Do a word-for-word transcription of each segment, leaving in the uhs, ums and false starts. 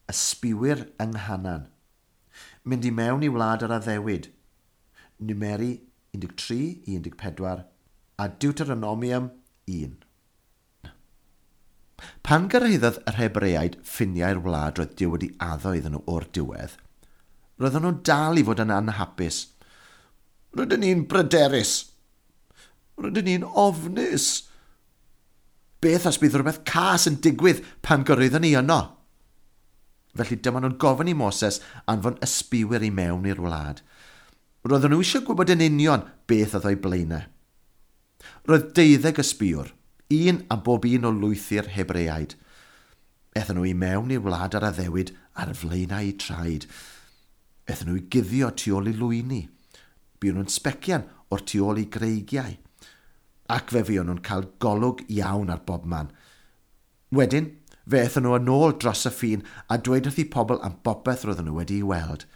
Ysbiwyr yng Nghanan. Mynd i mewn i wlad yr addewid. Numeri un deg tri i un deg pedwar a Deuteronomium un. Pan gyrhaeddodd yr Hebreaid ffiniau'r wlad roedd Duw wedi addo iddyn nhw o'r diwedd, roedden nhw'n dal i fod yn anhapus. Rydyn ni'n bryderus. Rydyn ni'n ofnus. Beth os bydd rhywbeth cas yn digwydd pan gyrhaeddon ni yno? Felly dyma nhw'n gofyn i Moses anfon ysbiwyr i mewn i'r wlad. Roedden nhw eisiau gwybod yn union beth oedd o'i blaenau. Roedd deuddeg ysbiwr, un am bob un o lwythi'r Hebreaid. Aethon nhw i mewn i'r wlad ar addewid ar flaenau eu traed. Aethon nhw i guddio tu ôl i lwyni. Buon nhw'n sbecian o'r tu ôl i greigiau. Ac fe fuon nhw'n cael golwg iawn ar bob man. Wedyn, fe aethon nhw yn ôl dros y ffin a dweud wrth eu pobl am bopeth roedden nhw wedi'i weld.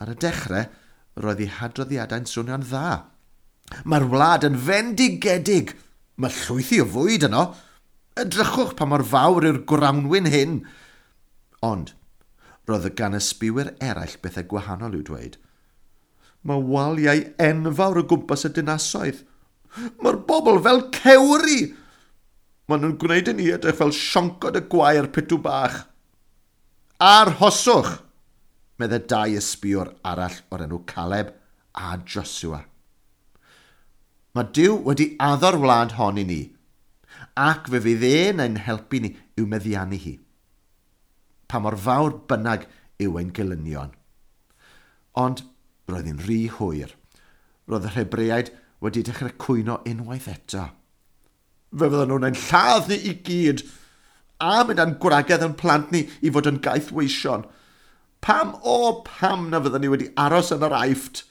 Ar y dechrau, roedd eu hadroddiadau'n swnio'n dda. Mae'r wlad yn fendigedig. Mae llwythi o fwyd yno. Edrychwch pa mor fawr yw'r grawnwin hyn. Ond, roedd y gan ysbiwyr eraill bethau gwahanol i'w dweud. Mae waliau enfawr o gwmpas y dinasoedd. Mae'r bobl fel cewri. Maen nhw'n gwneud i ni edrych fel sioncod y gwair pitw bach. Arhoswch, meddai dau ysbiwr arall o'r enw Caleb a Joshua. Mae Duw wedi addo'r wlad hon i ni, ac fe fydd e'n ein helpu ni i'w meddiannu hi. Pa mor fawr bynnag yw ein gelynion. Ond roedd hi'n rhy hwyr. Roedd yr Hebreaid wedi dechrau cwyno unwaith eto. Fe fydden nhw'n ein lladd ni i gyd, a mynd â'n gwragedd yn plant ni i fod yn gaethweision. Pam o pam na fydden ni wedi aros yn yr Aifft?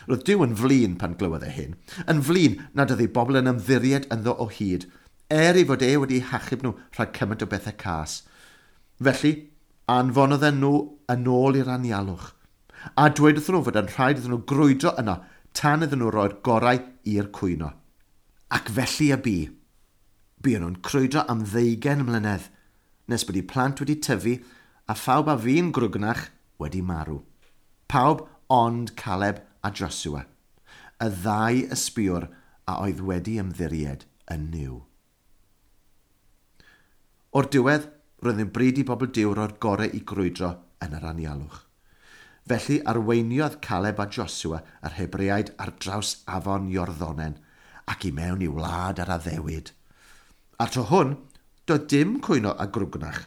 Roedd Duw yn flin pan glywodd e hyn, yn flin nad oedd ei bobl yn ymddiried ynddo o hyd, er ei fod e wedi hachub nhw rhag cymaint o bethau cas. Felly, anfonodd e nhw yn ôl i'r anialwch, a dweud wrthyn nhw fod yn rhaid iddyn nhw grwydro yno tan iddyn nhw roi'r gorau i'r cwyno. Ac felly y bu. Buon nhw'n crwydro am ddeugain mlynedd, nes bod eu plant wedi tyfu a phawb a fu'n grwgnach wedi marw. Pawb ond Caleb a Joshua, y ddau ysbiwr a oedd wedi ymddiried yn Nuw. O'r diwedd, roedd yn bryd i bobl Duw roi'r gorau i grwydro yn yr anialwch. Felly arweiniodd Caleb a Joshua yr Hebreaid ar draws afon Iorddonen ac i mewn i wlad yr addewid. A'r tro hwn, doedd dim cwyno a grwgnach,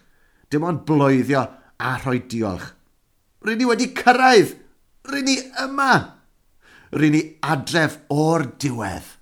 dim ond bloeddio a rhoi diolch. Rŷn ni wedi cyrraedd! Rŷn ni yma! Rŷn ni adref o'r diwedd!